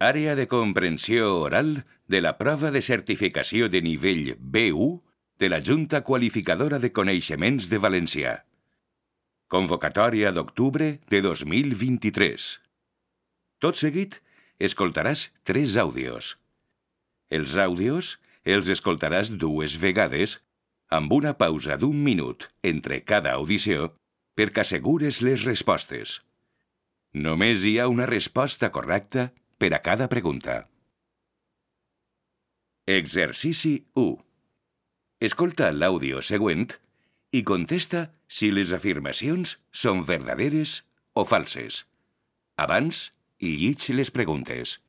Àrea de comprensió oral de la prova de certificació de nivell B1 de la Junta Qualificadora de Coneixements de Valencià. Convocatòria d'octubre de 2023. Tot seguit, escoltaràs 3 àudios. Els àudios els escoltaràs 2 vegades amb una pausa d'1 minut entre cada audició perquè assegures les respostes. Només hi ha una resposta correcta per a cada pregunta. Exercici 1. Escolta l'àudio següent i contesta si les afirmacions són verdaderes o falses. Abans, llig les preguntes.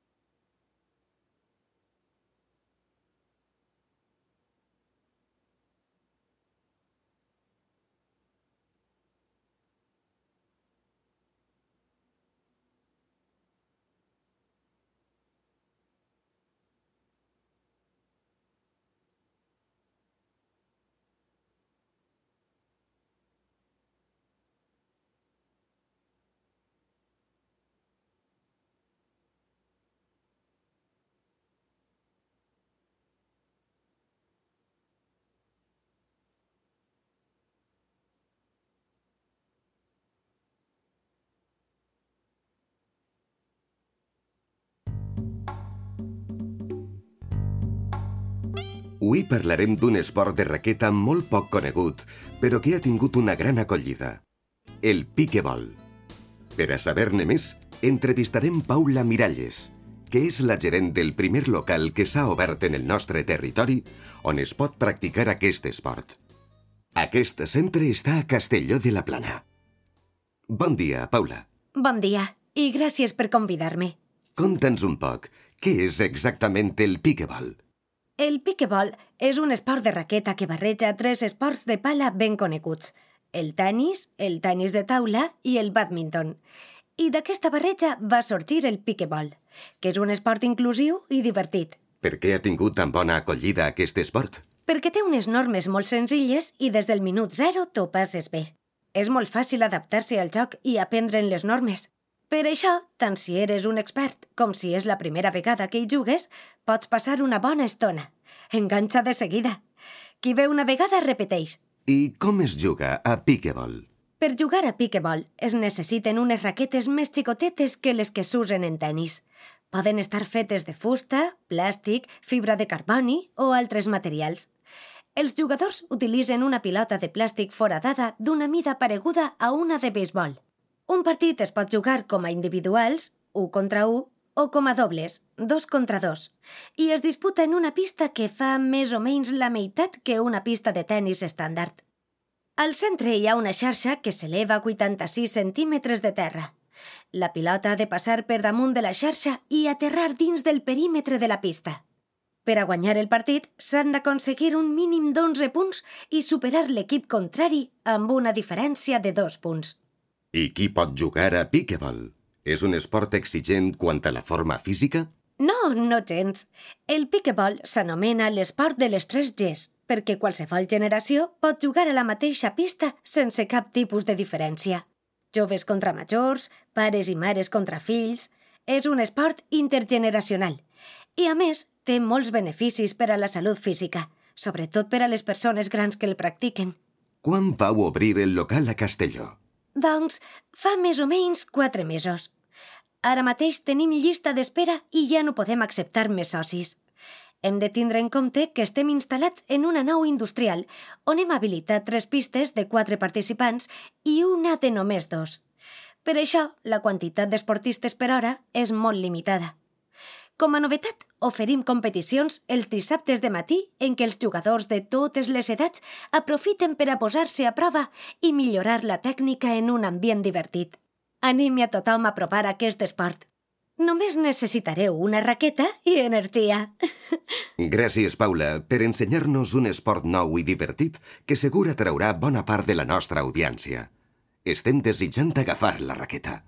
Avui parlarem d'un esport de raqueta molt poc conegut, però que ha tingut una gran acollida. El piquebol. Per a saber-ne més, entrevistarem Paula Miralles, que és la gerent del primer local que s'ha obert en el nostre territori on es pot practicar aquest esport. Aquest centre està a Castelló de la Plana. Bon dia, Paula. Bon dia, i gràcies per convidar-me. Conta'ns un poc, què és exactament el piquebol? El piquebol és un esport de raqueta que barreja 3 esports de pala ben coneguts: el tennis de taula i el bàdminton. I d'aquesta barreja va sorgir el piquebol, que és un esport inclusiu i divertit. Per què ha tingut tan bona acollida aquest esport? Perquè té unes normes molt senzilles i des del minut 0 t'ho passes bé. És molt fàcil adaptar-se al joc i aprendre'n les normes. Per això, tant si eres un expert com si és la primera vegada que hi jugues, pots passar una bona estona. Enganxa de seguida. Qui ve una vegada repeteix. I com es juga a piquebol? Per jugar a piquebol es necessiten unes raquetes més xicotetes que les que s'usen en tennis. Poden estar fetes de fusta, plàstic, fibra de carboni o altres materials. Els jugadors utilitzen una pilota de plàstic foradada d'una mida pareguda a una de beisbol. Un partit es pot jugar com a individuals, 1 contra 1, o com a dobles, 2 contra 2, i es disputa en una pista que fa més o menys la meitat que una pista de tennis estàndard. Al centre hi ha una xarxa que s'eleva a 86 centímetres de terra. La pilota ha de passar per damunt de la xarxa i aterrar dins del perímetre de la pista. Per a guanyar el partit s'han d'aconseguir un mínim d'11 punts i superar l'equip contrari amb una diferència de 2 punts. I qui pot jugar a piquebol? És un esport exigent quant a la forma física? No, no gens. El piquebol s'anomena l'esport de les 3 Gs, perquè qualsevol generació pot jugar a la mateixa pista sense cap tipus de diferència. Joves contra majors, pares i mares contra fills. És un esport intergeneracional. I, a més, té molts beneficis per a la salut física, sobretot per a les persones grans que el practiquen. Quan vau obrir el local a Castelló? Doncs fa més o menys 4 mesos. Ara mateix tenim llista d'espera i ja no podem acceptar més socis. Hem de tindre en compte que estem instal·lats en una nau industrial on hem habilitat 3 pistes de 4 participants i una de només 2. Per això, la quantitat d'esportistes per hora és molt limitada. Com a novetat, oferim competicions els dissabtes de matí en què els jugadors de totes les edats aprofiten per a posar-se a prova i millorar la tècnica en un ambient divertit. Animi a tothom a provar aquest esport. Només necessitareu una raqueta i energia. Gràcies, Paula, per ensenyar-nos un esport nou i divertit que segur atraurà bona part de la nostra audiència. Estem desitjant agafar la raqueta.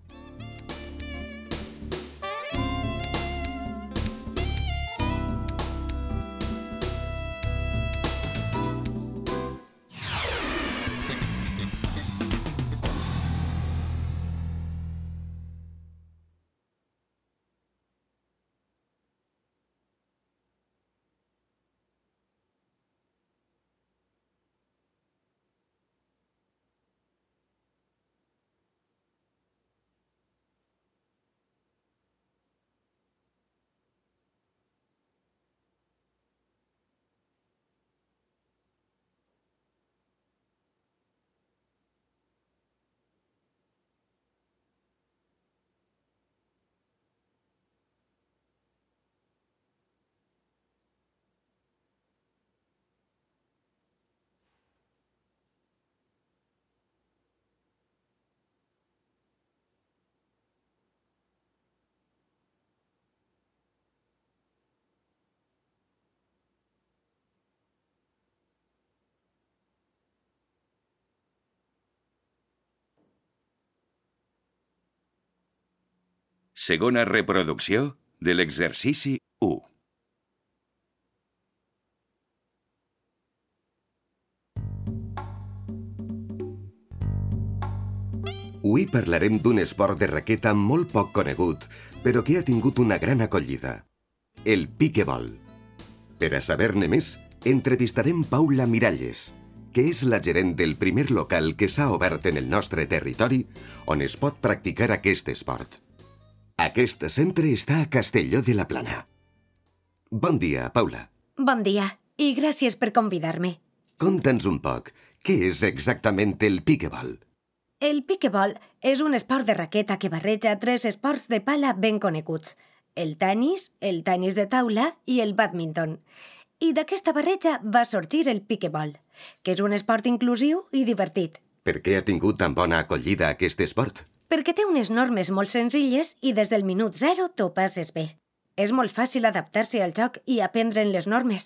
Segona reproducció de l'exercici 1. Avui parlarem d'un esport de raqueta molt poc conegut, però que ha tingut una gran acollida. El piquebol. Per a saber-ne més, entrevistarem Paula Miralles, que és la gerent del primer local que s'ha obert en el nostre territori on es pot practicar aquest esport. Aquest centre està a Castelló de la Plana. Bon dia, Paula. Bon dia, i gràcies per convidar-me. Conta'ns un poc, què és exactament el piquebol? El piquebol és un esport de raqueta que barreja 3 esports de pala ben coneguts: el tenis de taula i el bàdminton. I d'aquesta barreja va sorgir el piquebol, que és un esport inclusiu i divertit. Per què ha tingut tan bona acollida aquest esport? Perquè té unes normes molt senzilles i des del minut 0 t'ho passes bé. És molt fàcil adaptar-se al joc i aprendre'n les normes.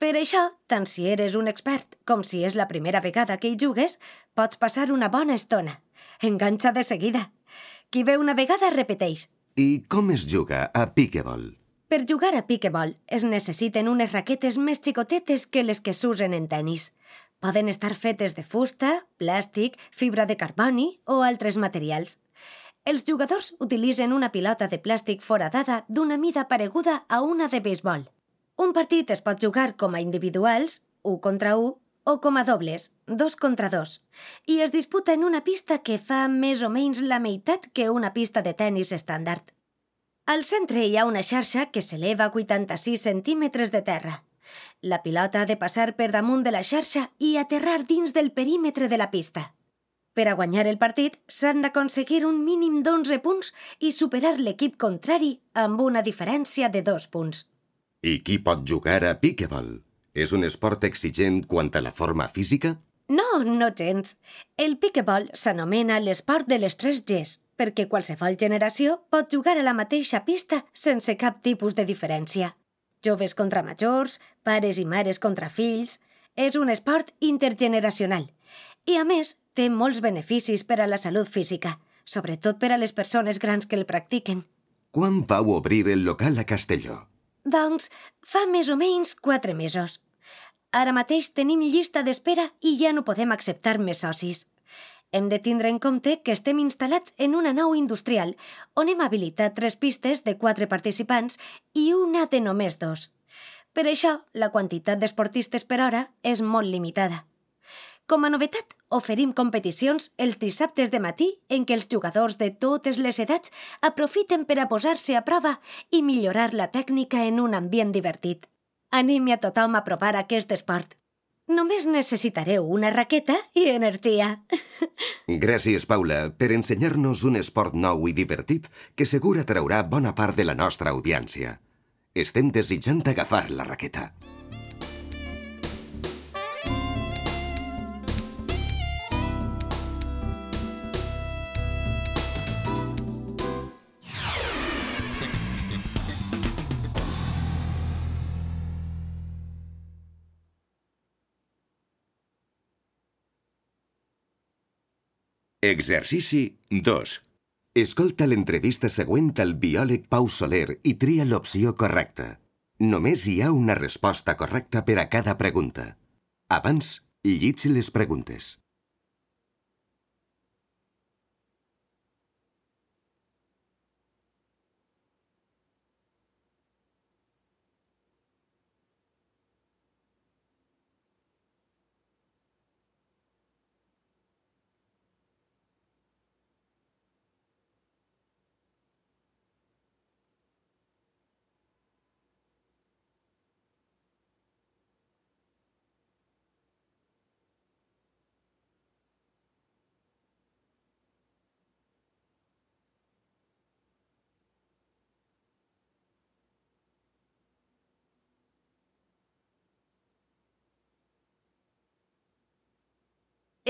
Per això, tant si eres un expert com si és la primera vegada que hi jugues, pots passar una bona estona. Enganxa de seguida. Qui ve una vegada repeteix. I com es juga a piquebol? Per jugar a piquebol es necessiten unes raquetes més xicotetes que les que s'usen en tenis. Poden estar fetes de fusta, plàstic, fibra de carboni o altres materials. Els jugadors utilitzen una pilota de plàstic foradada d'una mida pareguda a una de beisbol. Un partit es pot jugar com a individuals, 1 contra 1, o com a dobles, 2 contra 2, i es disputa en una pista que fa més o menys la meitat que una pista de tenis estàndard. Al centre hi ha una xarxa que s'eleva a 86 centímetres de terra. La pilota ha de passar per damunt de la xarxa i aterrar dins del perímetre de la pista. Per a guanyar el partit s'han d'aconseguir un mínim d'11 punts i superar l'equip contrari amb una diferència de 2 punts. I qui pot jugar a piquebol? És un esport exigent quant a la forma física? No, no gens. El piquebol s'anomena l'esport de les 3 Gs, perquè qualsevol generació pot jugar a la mateixa pista sense cap tipus de diferència. Joves contra majors, pares i mares contra fills. És un esport intergeneracional. I, a més, té molts beneficis per a la salut física, sobretot per a les persones grans que el practiquen. Quan vau obrir el local a Castelló? Doncs fa més o menys 4 mesos. Ara mateix tenim llista d'espera i ja no podem acceptar més socis. Hem de tindre en compte que estem instal·lats en una nau industrial on hem habilitat 3 pistes de 4 participants i una de només 2. Per això, la quantitat d'esportistes per hora és molt limitada. Com a novetat, oferim competicions els dissabtes de matí en què els jugadors de totes les edats aprofiten per a posar-se a prova i millorar la tècnica en un ambient divertit. Animi a tothom a provar aquest esport. Només necessitareu una raqueta i energia. Gràcies, Paula, per ensenyar-nos un esport nou i divertit que segur atraurà bona part de la nostra audiència. Estem desitjant agafar la raqueta. Exercici 2. Escolta l'entrevista següent al biòleg Pau Soler i tria l'opció correcta. Només hi ha una resposta correcta per a cada pregunta. Abans, llig les preguntes.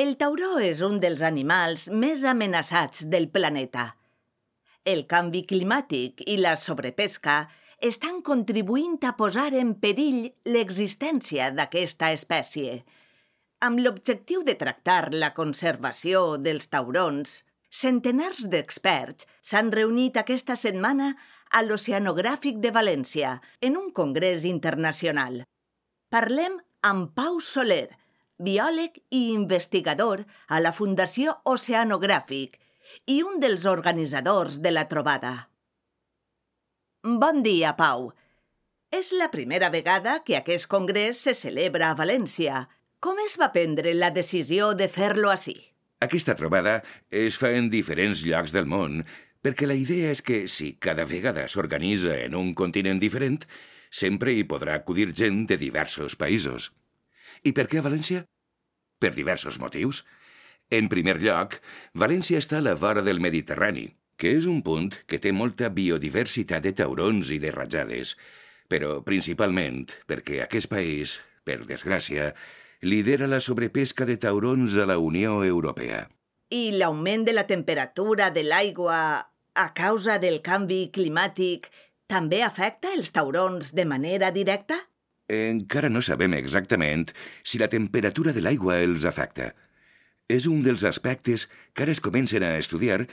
El tauró és un dels animals més amenaçats del planeta. El canvi climàtic i la sobrepesca estan contribuint a posar en perill l'existència d'aquesta espècie. Amb l'objectiu de tractar la conservació dels taurons, Centenars d'experts s'han reunit aquesta setmana a l'Oceanogràfic de València, en un congrés internacional. Parlem amb Pau Soler, biòleg i investigador a la Fundació Oceanogràfic i un dels organitzadors de la trobada. Bon dia, Pau. És la primera vegada que aquest congrés se celebra a València. Com es va prendre la decisió de fer-lo ací? Aquesta trobada es fa en diferents llocs del món, perquè la idea és que, si cada vegada s'organitza en un continent diferent, sempre hi podrà acudir gent de diversos països. I per què a València? Per diversos motius. En primer lloc, València està a la vora del Mediterrani, que és un punt que té molta biodiversitat de taurons i de rajades, però principalment perquè aquest país, per desgràcia, lidera la sobrepesca de taurons a la Unió Europea. I l'augment de la temperatura de l'aigua a causa del canvi climàtic també afecta els taurons de manera directa? Encara no sabem exactament si la temperatura de l'aigua els afecta. És un dels aspectes que ara es comencen a estudiar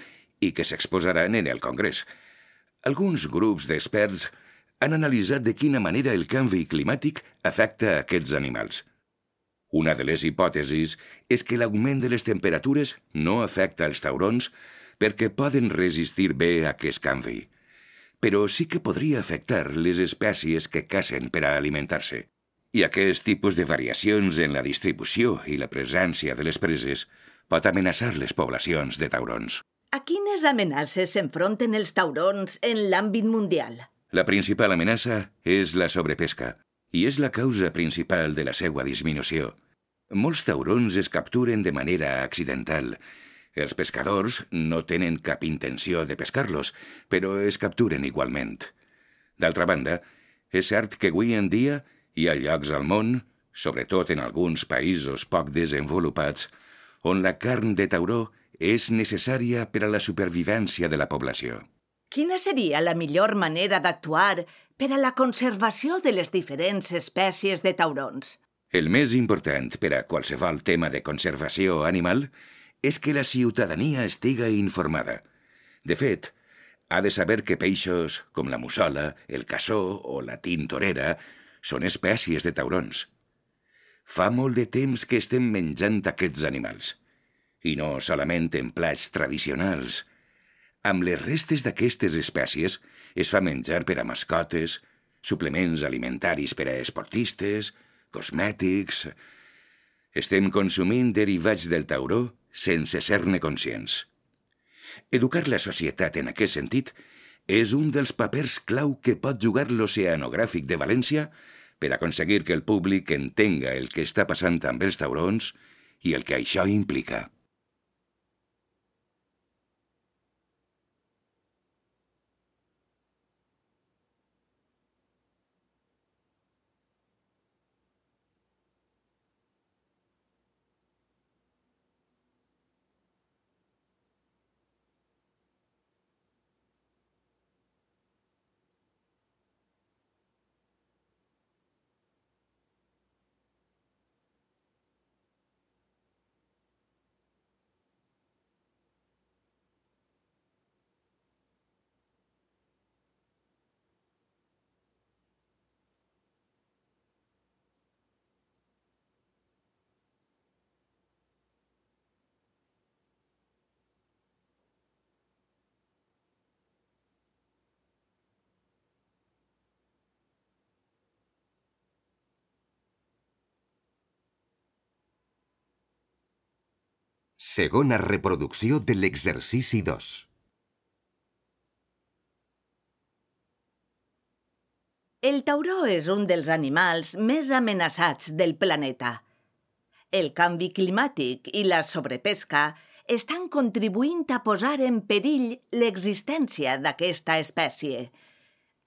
i que s'exposaran en el Congrés. Alguns grups d'experts han analitzat de quina manera el canvi climàtic afecta a aquests animals. Una de les hipòtesis és que l'augment de les temperatures no afecta els taurons perquè poden resistir bé a aquest canvi, però sí que podria afectar les espècies que cacen per a alimentar-se. I aquest tipus de variacions en la distribució i la presència de les preses pot amenaçar les poblacions de taurons. A quines amenaces s'enfronten els taurons en l'àmbit mundial? La principal amenaça és la sobrepesca, i és la causa principal de la seva disminució. Molts taurons es capturen de manera accidental. Els pescadors no tenen cap intenció de pescar-los, però es capturen igualment. D'altra banda, és cert que avui en dia hi ha llocs al món, sobretot en alguns països poc desenvolupats, on la carn de tauró és necessària per a la supervivència de la població. Quina seria la millor manera d'actuar per a la conservació de les diferents espècies de taurons? El més important per a qualsevol tema de conservació animal és que la ciutadania estiga informada. De fet, ha de saber que peixos com la mussola, el cassó o la tintorera són espècies de taurons. Fa molt de temps que estem menjant aquests animals. I no solament en plats tradicionals. Amb les restes d'aquestes espècies es fa menjar per a mascotes, suplements alimentaris per a esportistes, cosmètics... Estem consumint derivats del tauró sense ser-ne conscients. Educar la societat en aquest sentit és un dels papers clau que pot jugar l'Oceanogràfic de València per aconseguir que el públic entenga el que està passant amb els taurons i el que això implica. Segona reproducció de l'exercici 2. El tauró és un dels animals més amenaçats del planeta. El canvi climàtic i la sobrepesca estan contribuint a posar en perill l'existència d'aquesta espècie.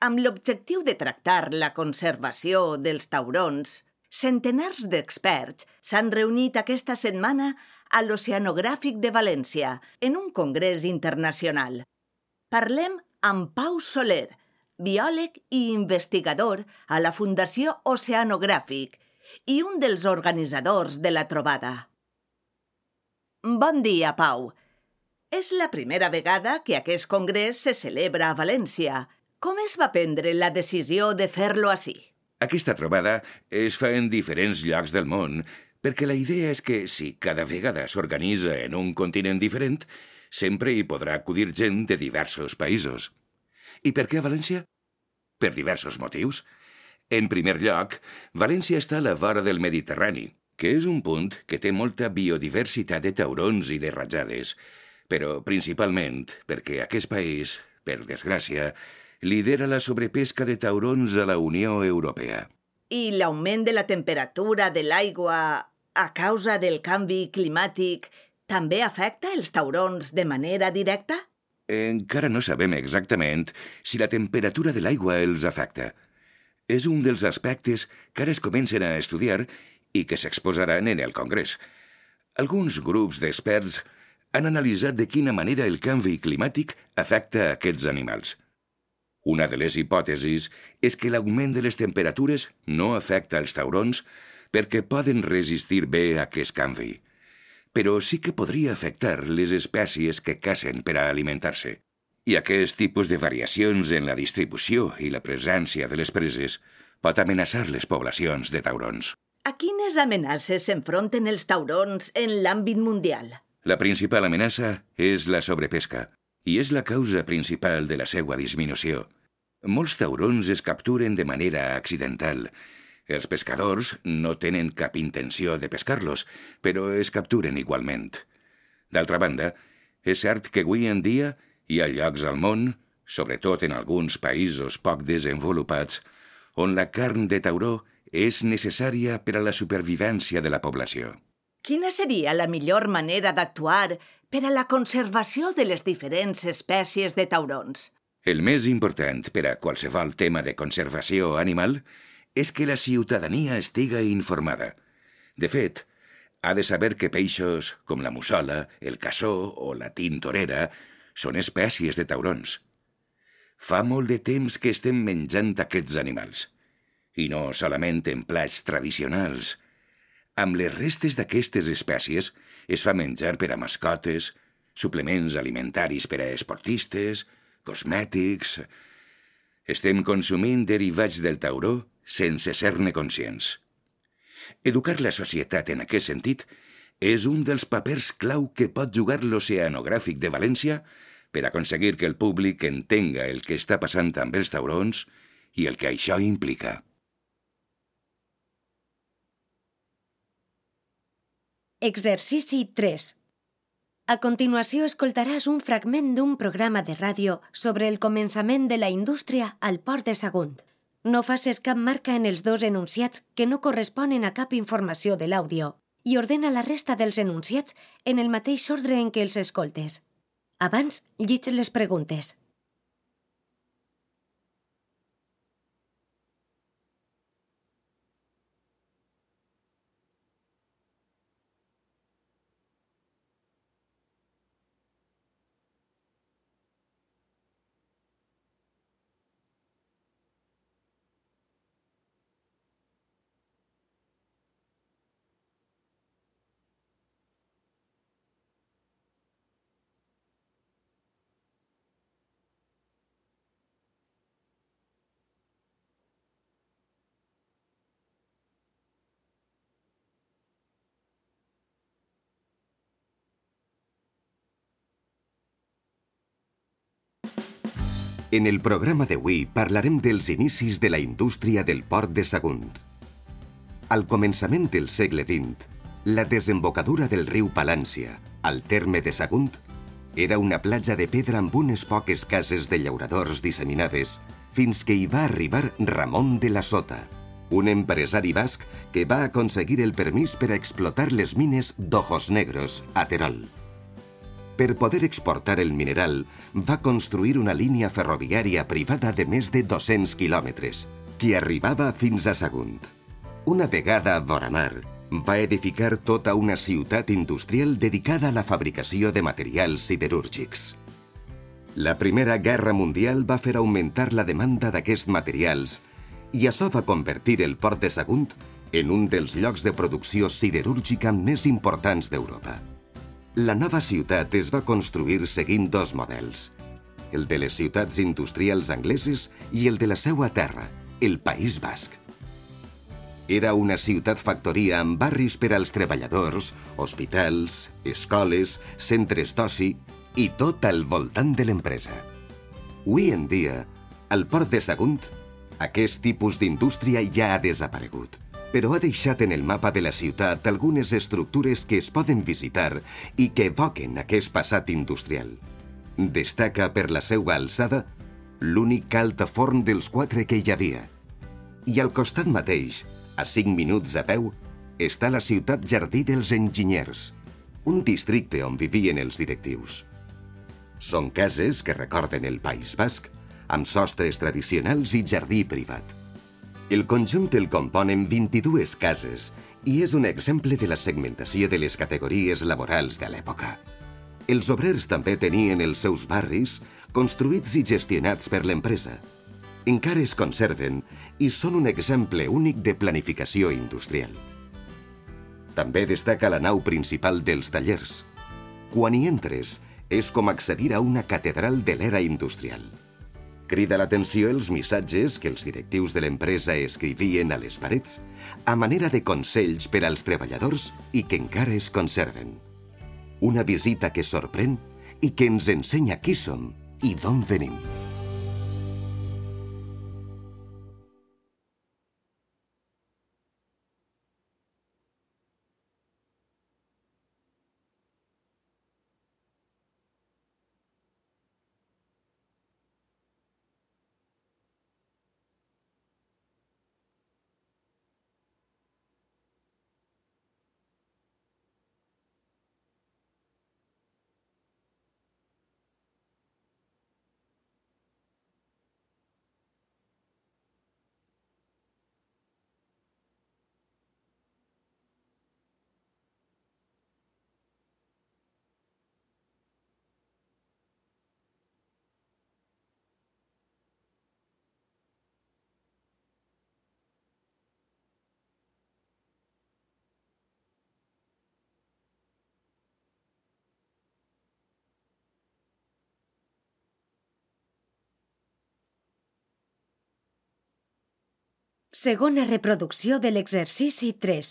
Amb l'objectiu de tractar la conservació dels taurons, centenars d'experts s'han reunit aquesta setmana a l'Oceanogràfic de València, en un congrés internacional. Parlem amb Pau Soler, biòleg i investigador a la Fundació Oceanogràfic i un dels organitzadors de la trobada. Bon dia, Pau. És la primera vegada que aquest congrés se celebra a València. Com es va prendre la decisió de fer-lo ací? Aquesta trobada es fa en diferents llocs del món, perquè la idea és que si cada vegada s'organitza en un continent diferent, sempre hi podrà acudir gent de diversos països. I per què a València? Per diversos motius. En primer lloc, València està a la vora del Mediterrani, que és un punt que té molta biodiversitat de taurons i de rajades, però principalment perquè aquest país, per desgràcia, lidera la sobrepesca de taurons a la Unió Europea. I l'augment de la temperatura de l'aigua a causa del canvi climàtic també afecta els taurons de manera directa? Encara no sabem exactament si la temperatura de l'aigua els afecta. És un dels aspectes que ara es comencen a estudiar i que s'exposaran en el Congrés. Alguns grups d'experts han analitzat de quina manera el canvi climàtic afecta aquests animals. Una de les hipòtesis és que l'augment de les temperatures no afecta els taurons perquè poden resistir bé a aquest canvi, però sí que podria afectar les espècies que cacen per a alimentar-se. I aquest tipus de variacions en la distribució i la presència de les preses pot amenaçar les poblacions de taurons. A quines amenaces s'enfronten els taurons en l'àmbit mundial? La principal amenaça és la sobrepesca, i és la causa principal de la seva disminució. Molts taurons es capturen de manera accidental. Els pescadors no tenen cap intenció de pescar-los, però es capturen igualment. D'altra banda, és cert que avui en dia hi ha llocs al món, sobretot en alguns països poc desenvolupats, on la carn de tauró és necessària per a la supervivència de la població. Quina seria la millor manera d'actuar per a la conservació de les diferents espècies de taurons? El més important per a qualsevol tema de conservació animal és que la ciutadania estiga informada. De fet, ha de saber que peixos com la mussola, el cassó o la tintorera són espècies de taurons. Fa molt de temps que estem menjant aquests animals. I no solament en plats tradicionals. Amb les restes d'aquestes espècies es fa menjar per a mascotes, suplements alimentaris per a esportistes, cosmètics... Estem consumint derivats del tauró sense ser-ne conscients. Educar la societat en aquest sentit és un dels papers clau que pot jugar l'Oceanogràfic de València per aconseguir que el públic entenga el que està passant amb els taurons i el que això implica. Exercici 3. A continuació escoltaràs un fragment d'un programa de ràdio sobre el començament de la indústria al Port de Sagunt. No facis cap marca en els dos enunciats que no corresponen a cap informació de l'àudio i ordena la resta dels enunciats en el mateix ordre en què els escoltes. Abans, llig les preguntes. En el programa d'avui parlarem dels inicis de la indústria del Port de Sagunt. Al començament del segle XX, la desembocadura del riu Palància, al terme de Sagunt, era una platja de pedra amb unes poques cases de llauradors disseminades fins que hi va arribar Ramon de la Sota, un empresari basc que va aconseguir el permís per a explotar les mines d'Ojos Negros, a Terol. Per poder exportar el mineral, va construir una línia ferroviària privada de més de 200 quilòmetres, que arribava fins a Sagunt. Una vegada a vora mar, va edificar tota una ciutat industrial dedicada a la fabricació de materials siderúrgics. La Primera Guerra Mundial va fer augmentar la demanda d'aquests materials i això va convertir el Port de Sagunt en un dels llocs de producció siderúrgica més importants d'Europa. La nova ciutat es va construir seguint dos models, el de les ciutats industrials angleses i el de la seua terra, el País Basc. Era una ciutat-factoria amb barris per als treballadors, hospitals, escoles, centres d'oci i tot al voltant de l'empresa. Avui en dia, al port de Sagunt, aquest tipus d'indústria ja ha desaparegut, però ha deixat en el mapa de la ciutat algunes estructures que es poden visitar i que evoquen aquest passat industrial. Destaca per la seva alçada l'únic altaforn dels 4 que hi havia. I al costat mateix, a 5 minuts a peu, està la ciutat Jardí dels Enginyers, un districte on vivien els directius. Són cases que recorden el País Basc, amb sostres tradicionals i jardí privat. El conjunt el componen 22 cases i és un exemple de la segmentació de les categories laborals de l'època. Els obrers també tenien els seus barris, construïts i gestionats per l'empresa. Encara es conserven i són un exemple únic de planificació industrial. També destaca la nau principal dels tallers. Quan hi entres, és com accedir a una catedral de l'era industrial. Crida l'atenció els missatges que els directius de l'empresa escrivien a les parets, a manera de consells per als treballadors i que encara es conserven. Una visita que sorprèn i que ens ensenya qui som i d'on venim. Segona reproducció de l'exercici 3.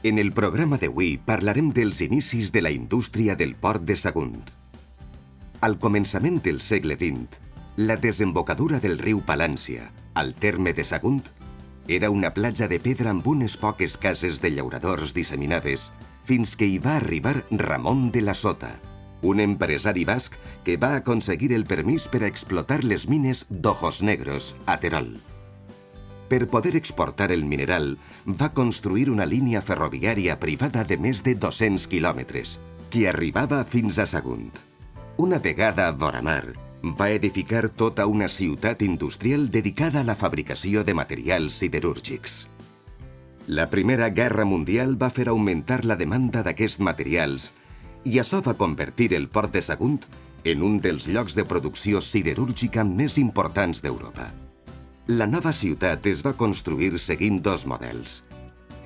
En el programa d'avui parlarem dels inicis de la indústria del port de Sagunt. Al començament del segle XX, la desembocadura del riu Palància, al terme de Sagunt, era una platja de pedra amb unes poques cases de llauradors disseminades fins que hi va arribar Ramon de la Sota, un empresari basc que va aconseguir el permís per a explotar les mines d'Ojos Negros, a Terol. Per poder exportar el mineral, va construir una línia ferroviària privada de més de 200 quilòmetres, que arribava fins a Sagunt. Una vegada a vora mar, va edificar tota una ciutat industrial dedicada a la fabricació de materials siderúrgics. La Primera Guerra Mundial va fer augmentar la demanda d'aquests materials i això va convertir el port de Sagunt en un dels llocs de producció siderúrgica més importants d'Europa. La nova ciutat es va construir seguint dos models,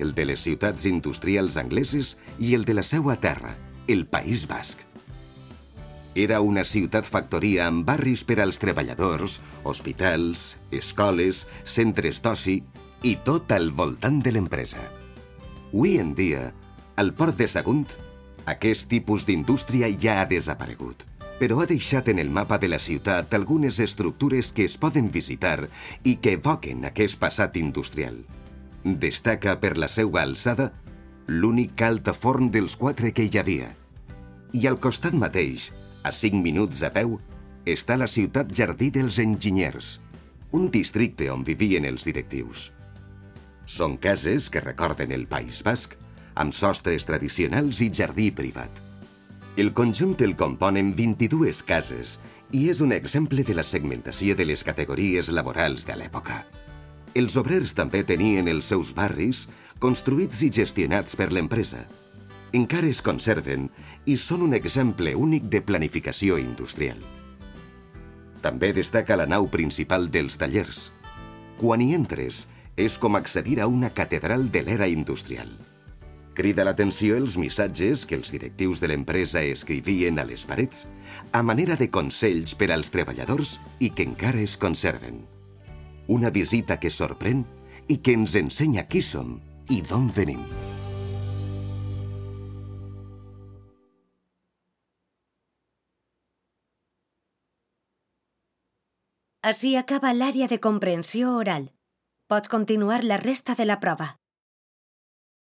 el de les ciutats industrials angleses i el de la seua terra, el País Basc. Era una ciutat-factoria amb barris per als treballadors, hospitals, escoles, centres d'oci i tot al voltant de l'empresa. Avui en dia, al port de Sagunt, aquest tipus d'indústria ja ha desaparegut, però ha deixat en el mapa de la ciutat algunes estructures que es poden visitar i que evoquen aquest passat industrial. Destaca per la seva alçada l'únic altaforn dels 4 que hi havia. I al costat mateix, a 5 minuts a peu, està la ciutat Jardí dels Enginyers, un districte on vivien els directius. Són cases que recorden el País Basc, amb sostres tradicionals i jardí privat. El conjunt el componen 22 cases i és un exemple de la segmentació de les categories laborals de l'època. Els obrers també tenien els seus barris, construïts i gestionats per l'empresa. Encara es conserven i són un exemple únic de planificació industrial. També destaca la nau principal dels tallers. Quan hi entres, És com accedir a una catedral de l'era industrial. Crida l'atenció els missatges que els directius de l'empresa escrivien a les parets a manera de consells per als treballadors i que encara es conserven. Una visita que sorprèn i que ens ensenya qui som i d'on venim. Així acaba l'àrea de comprensió oral. Pots continuar la resta de la prova.